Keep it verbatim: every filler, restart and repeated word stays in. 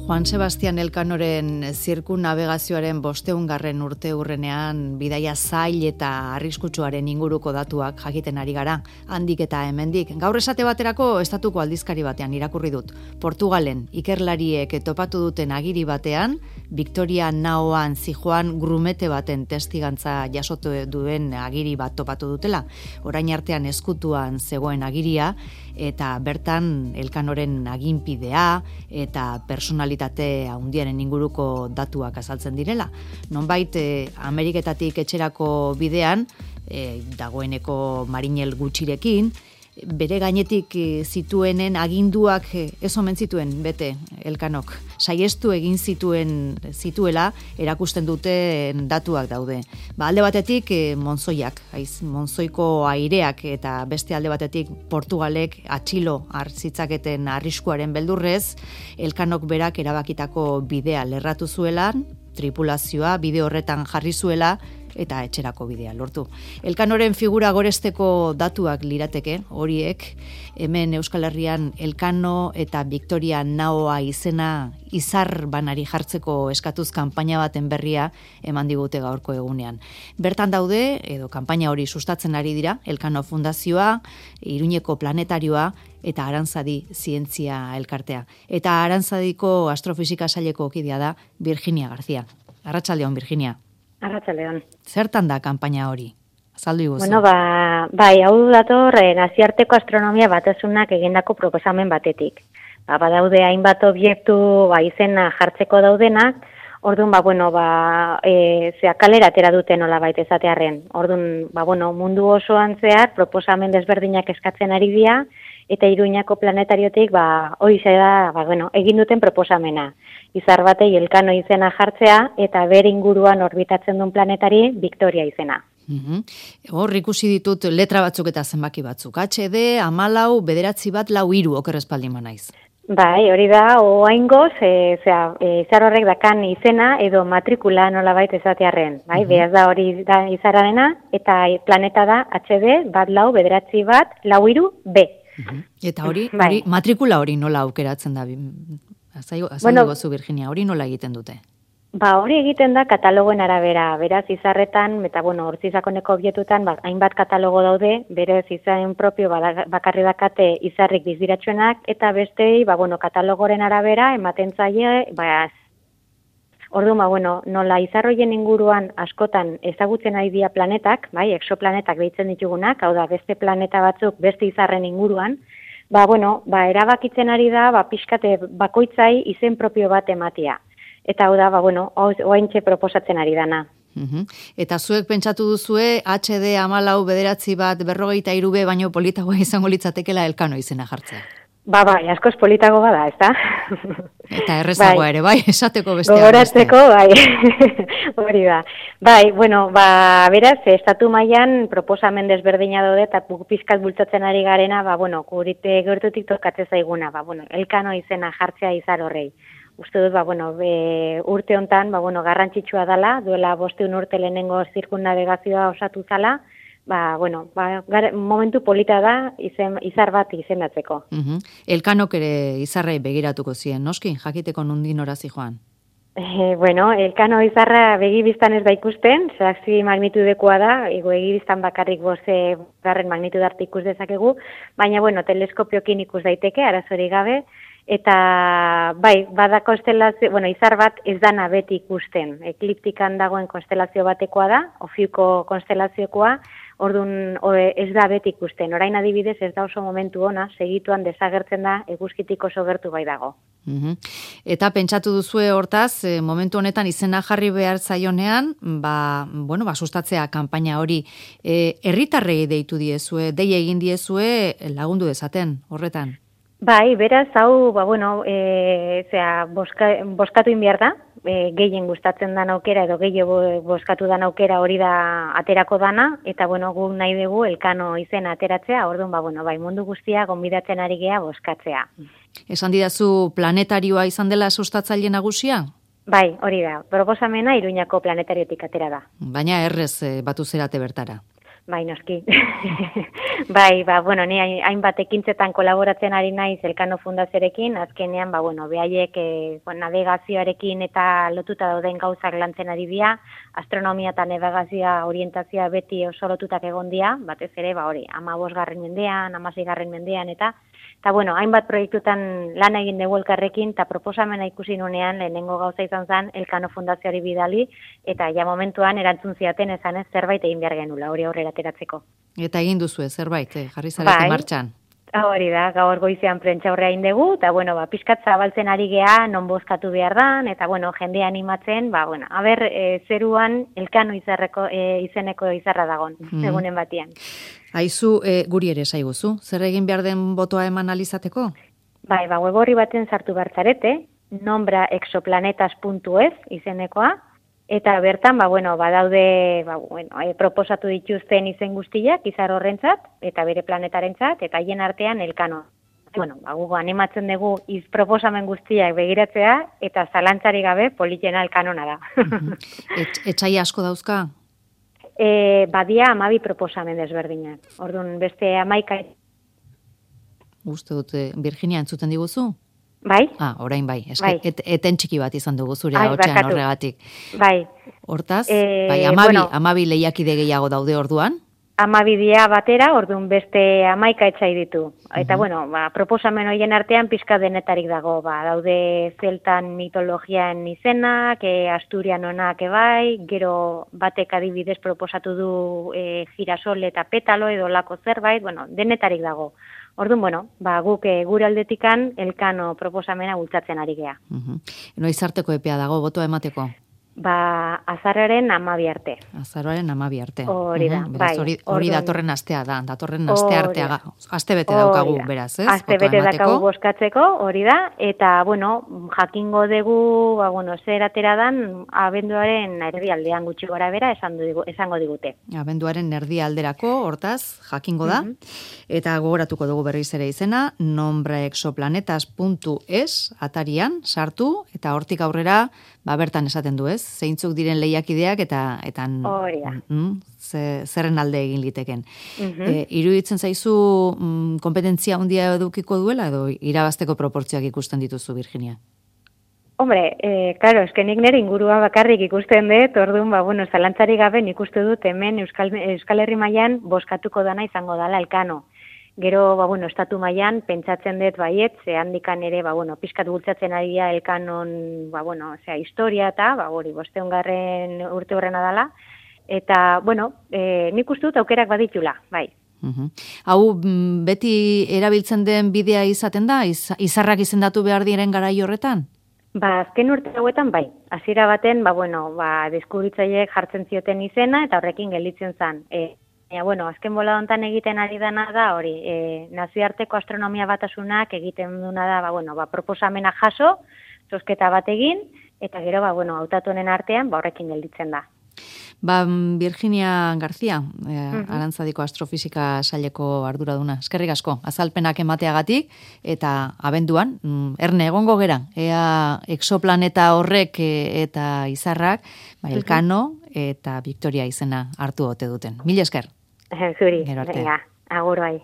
Juan Sebastian Elkanoren zirkunnabegazioaren bosteungarren urte hurrenean bidaia zail eta arriskutsuaren inguruko datuak jakiten ari gara, handik eta hemendik. Gaur esate baterako estatuko aldizkari batean irakurri dut. Portugalen ikerlariek topatu duten agiri batean, Victoria Naoan zijoan grumete baten testigantza jasotu duen agiri bat topatu dutela. Orain artean ezkutuan zegoen agiria, eta bertan Elkanoren aginpidea eta personalitate handiaren inguruko datuak azaltzen direla. Nonbait eh, Ameriketatik etxerako bidean, eh, dagoeneko marinel gutxirekin, bere gainetik zituenen aginduak ez omen zituen bete Elkanok. Saiestu egin zituen zituela erakusten dute datuak daude. Ba, alde batetik Monzoiak, aiz, Monzoiko aireak eta beste alde batetik Portugalek atxilo hartzitzaketen arriskuaren beldurrez, Elkanok berak erabakitako bidea lerratu zuela, tripulazioa bide horretan jarri zuela, eta etxerako bidea lortu. Elkanoren figura goresteko datuak lirateke, horiek, hemen Euskal Herrian Elkano eta Victoria Naoa izena izar banari jartzeko eskatuz kanpaina baten berria eman digute gaurko egunean. Bertan daude, edo kanpaina hori sustatzen ari dira, Elkano Fundazioa, Iruñeko Planetarioa, eta Arantzadi Zientzia Elkartea. Eta Arantzadiko astrofisika saileko kidea da Virginia García. Arratsaldeon, Virginia. Arratsaldeon. Zertan da kanpaina hori? Azaldu iguzu. Bueno, ba, bai, hau dator eh, nazioarteko astronomia batasunak egindako proposamen batetik. Ba, badaude hainbat objektu ba, izena jartzeko daudenak, orduan, ba, bueno, ba, e, zea kalera atera dute nolabait esatearren. Orduan, ba, bueno, mundu osoan zehar proposamen desberdinak eskatzen ari dira, eta Iruñako Planetariotik, ba, horixe da, ba, bueno, egin duten proposamena. Izar batei Elkano izena jartzea, eta bere inguruan orbitatzen duen planetari Victoria izena. Uhum. Hor ikusi ditut letra batzuk eta zenbaki batzuk. H D, amalau, bederatzi bat, lau hiru, okerrezpaldin naiz. Bai, hori da, oaingoz, e, zera, e, izar horrek dakan izena edo matrikula nolabait esatearren. Bai, uhum. Behaz da hori da izararena, eta planeta da H D, bat lau, bederatzi bat, lau hiru, B. Uhum. Eta hori, bai. hori, matrikula hori nola aukeratzen da? Azaigo, azaigo bueno, zu, Virginia, hori nola egiten dute? Ba, hori egiten da katalogoen arabera, beraz izarretan, eta bueno, hortzizakoneko objetutan, ba, hainbat katalogo daude, berez izaren propio bakarri dakate izarrik bizdiratxuenak, eta bestei, ba, bueno, katalogoren arabera, ematen zaie, ba, orduan, ba, bueno, nola izarroien inguruan askotan ezagutzen ari dira planetak, bai, exoplanetak deitzen ditugunak, hau da, beste planeta batzuk, beste izarren inguruan, ba, bueno, ba, erabakitzen ari da, ba, pixkate bakoitzai izen propio bat ematia. Eta hau da, ba, bueno, oaintxe proposatzen ari dana. Uhum. Eta zuek pentsatu duzue, H D amalau bederatzi bat berrogeita irube, baino politagoa izango litzatekela Elkano izena jartzea. Ba, bai, askoz politago bada, ez da? Eta errezagoa bai. Ere, bai, esateko besteak. Gogoratzeko, bai, hori da. Bai, bueno, ba, beraz, estatu mailan proposamen desberdina daude, eta pizkat bultzatzen ari garena, ba, bueno, gurite gertutik tokatzen zaiguna, ba, bueno, Elkano izena jartzea izar horrei. Uste dut, ba, bueno, be, urte hontan, ba, bueno, garrantzitsua dela, duela bosteun urte lehenengo zirkunnabegazioa osatu zala, ba, bueno, ba, gar, momentu polita da izen, izar bat izendatzeko. Uh-huh. Elkanok ere izarrei begiratuko zien, noski, jakiteko nundin horazi joan? Eh, bueno, Elkano izarra begibiztan ez da ikusten, zazpi magnitudekoa da, ego egibiztan bakarrik boze garren magnitudarte ikus dezakegu, baina, bueno, teleskopiokin ikus daiteke, arazori gabe, eta bai, bada konstelazio, bueno, izar bat ez dana beti ikusten. Ekliptikan dagoen konstelazio batekoa da, Ofiuko konstelaziokoa, orduan ez da beti ikusten. Orain adibidez ez da oso momentu ona, segituan desagertzen da, eguzkitik oso gertu bai dago. Uhum. Eta pentsatu duzue hortaz, momentu honetan izena jarri behar zaionean, ba, bueno, ba, sustatzea kanpaina hori, e, herritarrei deitu diezue, dei egin diezue lagundu dezaten, horretan? Bai, beraz, hau, ba, bueno, e, zera, boska, boskatu inbiar da, e, gehien gustatzen dan aukera, edo gehien boskatu dan aukera hori da aterako dana, eta, bueno, gu nahi dugu Elkano izena ateratzea, orduan, ba, bueno, bai, mundu guztia gonbidatzen ari gea boskatzea. Esan didazu planetarioa izan dela sustatzaile nagusia? Bai, hori da, proposamena Iruñako Planetariotik atera da. Baina errez batu zerate bertara. Bai, noski. Bai, ba, bueno, ni hainbat ekintzetan kolaboratzen ari naiz Elkano Fundazioarekin, azkenean, ba, bueno, behaiek e, bueno, navegazioarekin eta lotuta dauden gauzak lantzen ari dira, astronomia eta navegazioa orientazioa beti oso lotutak egon dira, batez ere, ba, hori, amabosgarren mendean, amaseigarren mendean, eta, eta, bueno, hainbat proiektutan lan egin dugu elkarrekin, eta proposamena ikusi nunean, lehenengo gauza izan zen, Elkano Fundazioari bidali, eta ja momentuan erantzun ziaten esan ez zerbait egin behar genula, hori aurrera ateratzeko. Eta egin duzu zerbait, eh? Jarri zarete bai, martxan. Hori da, gaur goizean prentxaurrea egin dugu, eta bueno, ba, pixkat zabaltzen ari gea, non bozkatu behar dan, eta bueno, jende animatzen, ba, bueno, haber, e, zeruan Elkano izarreko, e, izeneko izarra dagon, mm. egunen batian. Aizu, e, guri ere saiguzu, zer egin behar den botoa eman alizateko? Bai, ba, web horri baten sartu bartzarete, nombra exoplanetas puntu es izenekoa, eta bertan, ba, bueno, badaude, ba, bueno, e, proposatu dituzten izen guztiak, izar horrentzat, eta bere planetarentzat, eta haien artean Elkano. Bueno, ba, gugo animatzen dugu iz proposamen guztiak begiratzea, eta zalantzari gabe politena Elkanona da. Et, etxai asko dauzka? E, badia amabi proposamen desberdinak. Orduan, beste amaika... Uste dute, Virginia entzuten diguzu? Bai? Ah, orain bai. Eske, bai. Et, eten txiki bat izan dugu zure hotxean horregatik. Bai. Hortaz, e, bai, amabi, bueno, amabi lehiakide gehiago daude orduan? Amabi dia batera, orduan beste amaika etxai ditu. Eta, uh-huh. bueno, ba, proposamen horien artean pixka denetarik dago. Ba, daude zeltan mitologian izenak, e, asturianonak ebai, gero batek adibidez proposatu du e, girasol eta petalo edo lako zerbait, bueno, denetarik dago. Orduan, bueno, ba, guk e, gure aldetikan Elkano proposamena bultzatzen ari gea. Uh-huh. Noiz arteko epea dago, botoa emateko? Ba, azararen amabi arte. Azararen amabi arte. Hori da, uh-huh. beraz, bai. Hori, hori datorren astea da, datorren aste artea, aste bete daukagu, beraz, ez? Aste bete daukagu boskatzeko, hori da, eta, bueno, jakingo dugu, ba, bueno, zer ateradan, abenduaren erdialdean gutxi gora bera, esan digu, esango digute. Abenduaren erdialderako, hortaz, jakingo da, uh-huh. eta gogoratuko dugu berriz ere izena, nombraexoplanetas puntu es, atarian, sartu, eta hortik aurrera, ba, bertan esaten du, ez? Zeintzuk diren lehiakideak eta etan mm, ze, zerren alde egin liteken. Uh-huh. E, iruditzen zaizu mm, kompetentzia handia edukiko duela edo irabazteko proportzioak ikusten dituzu, Virginia? Hombre, eh, claro, eskenik nire ingurua bakarrik ikusten dut, orduan, ba, bueno, zalantzari gabe nik uste dut hemen Euskal, Euskal Herri mailan boskatuko dana izango dala Elkano. Gero, ba, bueno, estatu mailan pentsatzen dut baiet, ze handikan ere, ba, bueno, pixkat bultzatzen ari da Elkanon, ba, bueno, osea, historia eta, ba, hori, bosteungarren urte horrena dala, eta, bueno, e, nik uste dut aukerak baditula, bai. Uh-huh. Hau, beti erabiltzen den bidea izaten da, Iz, izarrak izendatu behar diren garai horretan? Ba, azken urte hauetan, bai. Hasiera baten, ba, bueno, ba, deskubritzaileek jartzen zioten izena, eta horrekin gelditzen zen, e, Ja, bueno, azken bola hontan egiten ari dana da, hori, e, nazioarteko astronomia batasunak egiten duna da, ba, bueno, ba, proposamena jaso, zozketa bat egin, eta gero, ba, bueno, hautatunen artean, ba, horrekin gelditzen da. Ba, Virginia García, eh, uh-huh. Arantzadiko astrofisika saileko arduraduna. Eskerrik asko, azalpenak emateagatik, eta abenduan, mm, erne egongo gera, ea exoplaneta horrek e, eta izarrak, ba, Elkano eta Victoria izena hartu ote duten. Mila esker. Zuri, venga, agur bai.